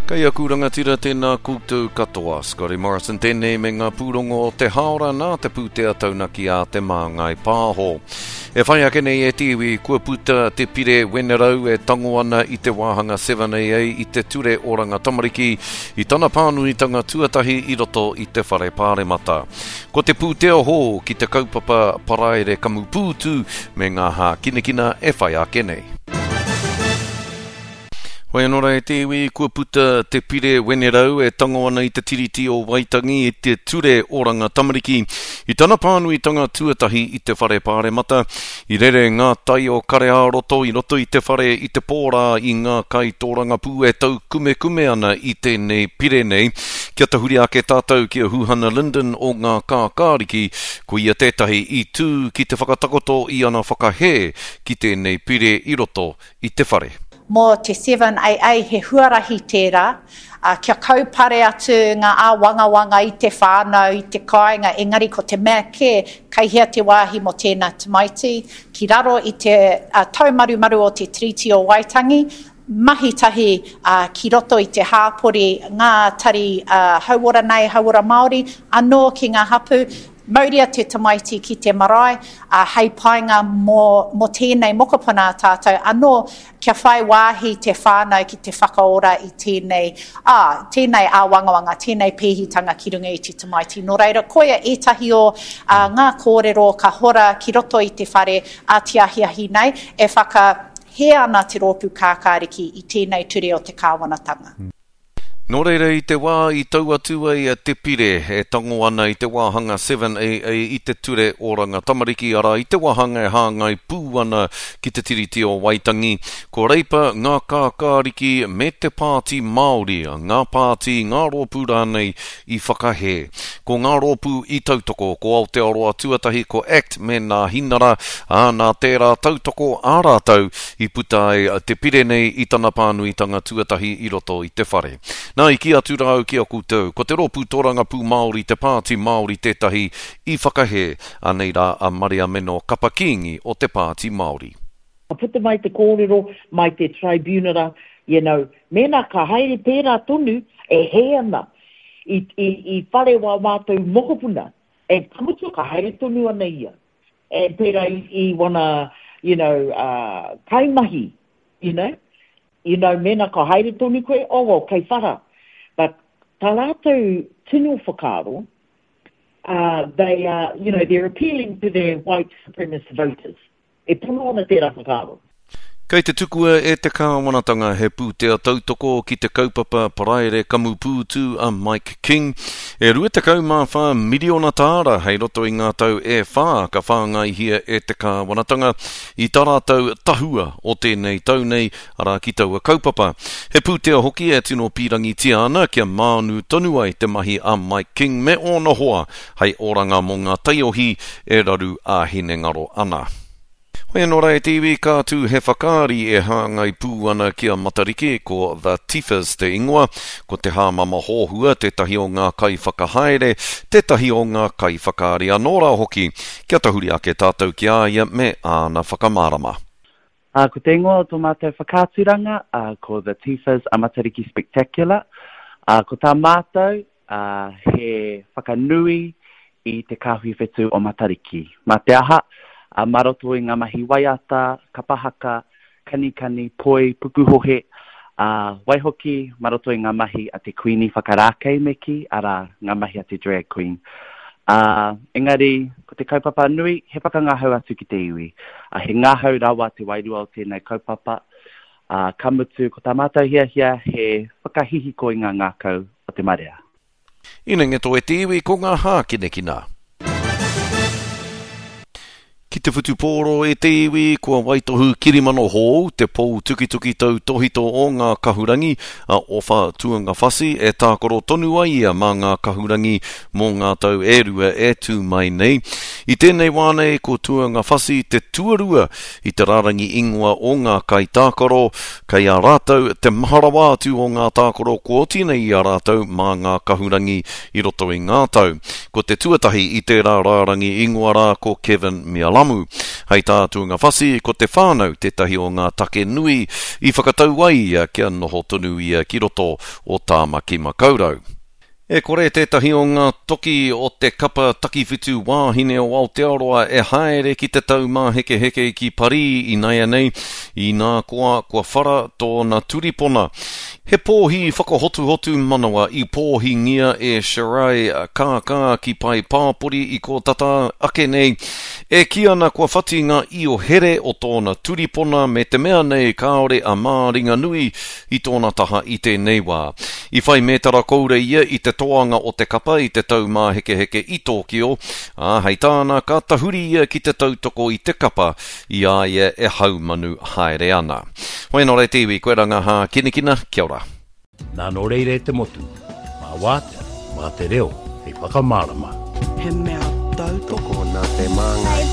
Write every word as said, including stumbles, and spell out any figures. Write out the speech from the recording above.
Kei aku rangatira tēnā koutou katoa. Scotty Morrison tēnei me ngā pūrongo o te haora nā te pūtea taunaki a Te Māngai Pāho. E whai ake nei e te iwi, kua puta te pire Wenerau e tango ana i te wāhanga seven A A i te ture oranga tamariki i tana pānuitanga tuatahi i roto i te whare pāremata. Ko te pūtea hou ki te kaupapa paraire kamupūtu me ngā hākinakina e whai ake nei. Hoi anō rā e te iwi, kua puta te pire Wenerau e tango ana i te Tiriti o Waitangi i te ture oranga tamariki. I tana pānuitanga tuatahi i te whare pāremata, i rere ngā tai o kare ā-roto i roto i te whare i te pōrā i ngā kai tōrangapū e taukumekume ana i tēnei pire nei. Kia tahuri ake tātou ki a Huhana Lyndon o ngā kākāriki, ko ia tētahi i tū ki te whakatakoto i ana whakahē ki tēnei pire i roto i te whare. Mō te seven A A he huarahi tērā, uh, kia kaupare atu ngā āwangawanga i te whānau, i te kāinga, engari ko te mea kē, kei hea te wāhi mō tēnā tamaiti, ki raro i te uh, taumarumaru o te Tiriti o Waitangi, mahi tahi uh, ki roto i te hāpori ngā tari uh, hauora nei, hauora Māori, anō ki ngā hapu, mauria te tamaiti ki te marae, uh, hei painga mō, mō tēnei mokopuna tātou, anō kia whai wāhi te whānau ki te whakaora i tēnei, ā, tēnei āwangawanga, tēnei pēhitanga ki runga i te tamaiti. Nō reira, koia ētahi o uh, ngā kōrero ka hora ki roto i te whare a te ahiahi nei, e whakahē ana te rōpū kākāriki i tēnei ture o te kāwanatanga. Nō reira i te wā i tau atu ai te pire e tango ana i te wāhanga seven A A i te ture oranga tamariki, arā i te wāhanga e hāngai pū ana ki te Tiriti o Waitangi. Ko Reipa ngā kākāriki me te Pāti Māori, ngā pāti, ngā rōpū rānei i whakahē. Ko ngā rōpū i tautoko, ko Aotearoa tuatahi, ko ACT me Nā Hinara, ā, nā tērā tautoko ā rātou i puta ai te pire nei i tana pānuitanga tuatahi i roto i te whare. Nā, i ki atu rāu ki a koutou, ko te rōpū tōrangapū Māori, te Pāti Māori tētahi i whakahē, anei rā a Maria Meno Kapa Kingi o te Pāti Māori. Ka puta mai te kōrero, mai te tribunara, you know, mēnā ka haere pērā tonu e hē ana i, i, i whare wā mātou mokopuna, e ka mutu ka haere tonu ana ia. E pērā i, i wana, you know, uh, kaimahi, you know, you know, mēnā ka haere tonu koe, oh, well, kei whara. But tā rātou tino whakaaro, uh, they are, you know, they're appealing to their white supremacist voters. E pono ana tērā whakaaro. Kei te tukua e te kāwanatanga he pūtea tautoko ki te kaupapa paraire kamupūtu a Mike King. E rua tekau mā whā miriona tāra hei roto i ngā tau e whā ka whāngaihia e te kāwanatanga i tā rātou tahua o tēnei tau nei, arā ki taua kaupapa. He pūtea hoki e tino pīrangitia ana kia mānu tonu ai te mahi a Mike King me ōna hoa hei oranga mō ngā taiohi e raru a hinengaro ana. Hoi anō rā e te iwi, ka tū he whakaari e hāngai pū ana ki a Matariki, ko The Tifas te ingoa, ko te hāmama hōhua tētahi o ngā kaiwhakahaere, tētahi o ngā kaiwhakaari anō rā hoki. Kia tahuri ake tātou ki a ia me āna whakamārama. Uh, ko te ingoa o tō mātou whakaaturanga, uh, ko The Tifas a Matariki Spectacular. Uh, ko tā mātou, uh, he whakanui i te kāhui whetū o Matariki. Mā te aha, uh, mā roto i ngā mahi waiata, kapahaka, kanikani, poi, pukuhohe, uh, waihoki, mā roto i ngā mahi a te Queenie whakarākei me ki, arā, ngā mahi a te drag queen. Uh, engari, ko te kaupapa nui, he whakangahau atu ki te iwi. Uh, he ngahau rawa te wairua o tēnei kaupapa. Uh, ka mutu, ko tā mātou hiahia, he whakahihiko i ngā ngākau o te marea. Inengeto e te iwi, ko ngā hākinakina. Ki te whutupōro e te iwi, kua waitohu kirimano hou, te pou tukituki tau tohito o ngā kahurangi, a Ofa Tuangafasi e tākaro tonu ai ia mā ngā kahurangi mō ngā tau e rua e tū mai nei. I tēnei wā nei, ko Tuangafasi te tuarua i te rārangi ingoa o ngā kaitākaro, kei a rātou te maharawa atu o ngā tākaro kua oti nei i a rātou mā ngā kahurangi i roto i ngā tau. Ko te tuatahi i tērā rārangi ingoa rā ko Kevin Mealamu. Lamu. Hei tā Tu'ungafasi, ko te whānau tētahi o ngā take nui i whakatau ai ia kia noho tonu ia ki roto o Tāmaki Makaurau. E kore tētahi o ngā toki o te kapa takiwhitu wāhine o Aotearoa e haere ki te taumāhekeheke ki Parī ināianei, inā koa kua whara tōna turipona. He pōhi whakahotuhotu manawa i pōhingia e Shiray Kākā ki pae pāpori i kō tata ake nei, e kī ana kua whati ngā io here o tōna turipona me te mea nei kāore a Māringanui i tōna taha i tēnei wā. I whai mētara koura ia i te toanga o te kapa i te taumāhekeheke i Tōkio, ā, hei tāna ka tahuri ia ki te tautoko i te kapa i a ia e haumanu haere ana. Hoi anō rā te iwi, koe rā ngā hākinakina, kia ora. Nā nō reira e te motu, mā wātea, mā te reo, hei whakamārama. He mea tautoko. Tokona te māngai.